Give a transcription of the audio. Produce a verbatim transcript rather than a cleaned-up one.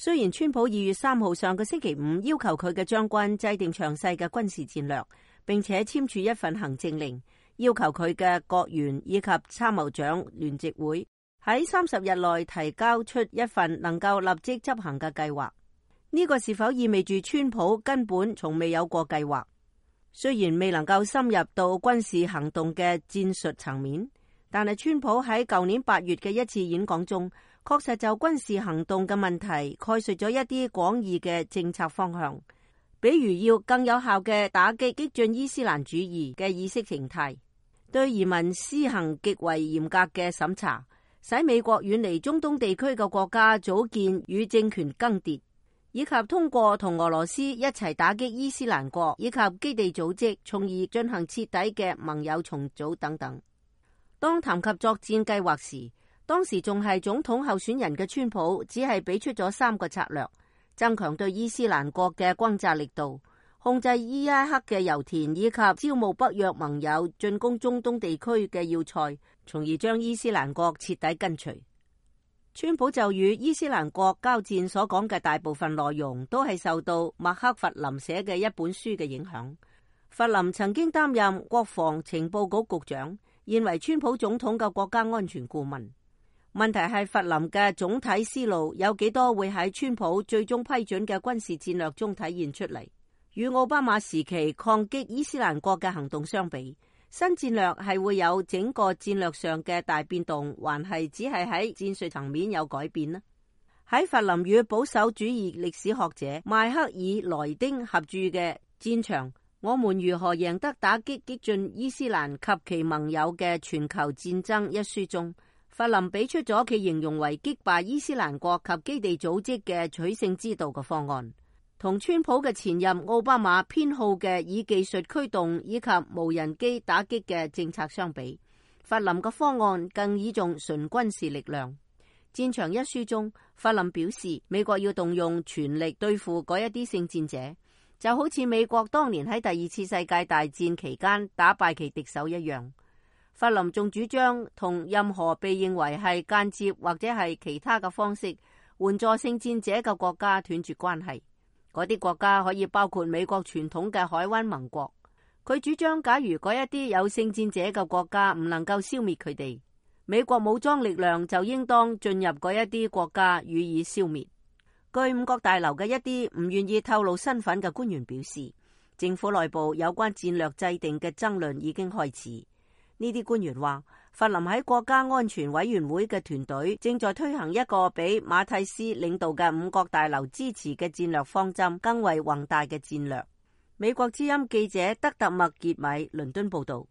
雖然川普二月三號上個星期五要求佢嘅將軍制定詳細嘅軍事戰略，並且簽署一份行政令，要求佢嘅國員以及參謀長聯席會喺三十日內提交出一份能夠立即執行嘅計劃。呢個是否意味住川普根本從未有過計劃？雖然未能夠深入到軍事行動嘅戰術層面，但係川普喺舊年八月嘅一次演講中，確實就軍事行動嘅問題概述咗一啲廣義嘅政策方向，比如要更有效嘅打擊激進伊斯蘭主義嘅意識形態，對移民施行極為嚴格嘅審查，使美國遠離中東地區嘅國家組建與政權更迭，以及通過同俄羅斯一齊打擊伊斯蘭國以及基地組織，從而進行徹底嘅盟友重組等等。當談及作戰計劃時，當時仲係總統候選人嘅川普只係俾出咗三個策略：增強對伊斯蘭國嘅轟炸力度，控制伊拉克嘅油田，以及招募北約盟友進攻中東地區嘅要塞，從而將伊斯蘭國徹底根除。川普就與伊斯蘭國交戰所講嘅大部分內容都係受到麥克弗林寫嘅一本書嘅影響。弗林曾經擔任國防情報局局長，現為川普總統嘅國家安全顧問。問題係弗林嘅總體思路有幾多會喺川普最終批准嘅軍事戰略中體現出嚟？與奧巴馬時期抗擊伊斯蘭國嘅行動相比，新戰略係會有整個戰略上嘅大變動，還係只係喺戰術層面有改變呢？喺弗林與保守主義歷史學者邁克爾萊丁合著嘅《戰場：我們如何贏得打擊激進伊斯蘭及其盟友嘅全球戰爭》一書中，弗林俾出咗其形容為擊敗伊斯蘭國及基地組織嘅取勝之道嘅方案。同川普嘅前任奧巴馬偏好嘅以技術驅動以及無人機打擊嘅政策相比，弗林嘅方案更倚重純軍事力量。戰場一書中，弗林表示美國要動用全力對付嗰一啲聖戰者，就好似美國當年喺第二次世界大戰期間打敗其敵手一樣。弗林仲主張同任何被認為係間接或者係其他嘅方式援助聖戰者嘅國家斷絕關係。嗰啲國家可以包括美國傳統嘅海灣盟國。佢主張，假如嗰一啲有聖戰者嘅國家唔能夠消滅佢哋，美國武裝力量就應當進入嗰一啲國家予以消滅。據五角大樓嘅一啲唔願意透露身份嘅官員表示，政府內部有關戰略制定嘅爭論已經開始。呢啲官員話，弗林喺國家安全委員會嘅團隊正在推行一個比馬蒂斯領導嘅五角大樓支持嘅戰略方針更為宏大嘅戰略。美國之音記者德特麥傑米倫敦報道。